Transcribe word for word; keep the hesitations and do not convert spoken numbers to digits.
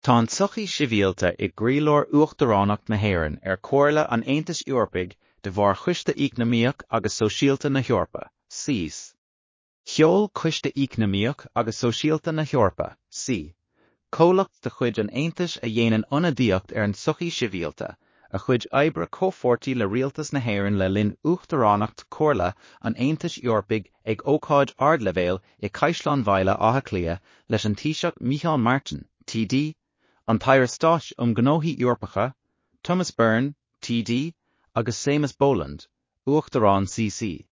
Tá an tsochaí sibhialta i gcroílár Uachtaránacht na hÉireann ar Chomhairle an Aontais Eorpaigh de bharr Choiste Eacnamaíoch agus Sóisialta na hEorpa, CESE. Sheol Coiste Eacnamaíoch agus Sóisialta na hEorpa, CESE, comhlacht de chuid an Aontais a dhéanann ionadaíocht ar an tsochaí sibhialta, a chuid oibre comhpháirtí le rialtas na hÉireann le linn Uachtaránacht Chomhairle an Aontais Eorpaigh ag ócáid ardleibhéil i Caisleán Bhaile Átha Cliath leis an Taoiseach Micheál Martin, TD, an tAire Stáit um Ghnóthaí Eorpacha, Thomas Byrne, TD, agus Séamus Boland, Uachtarán CESE.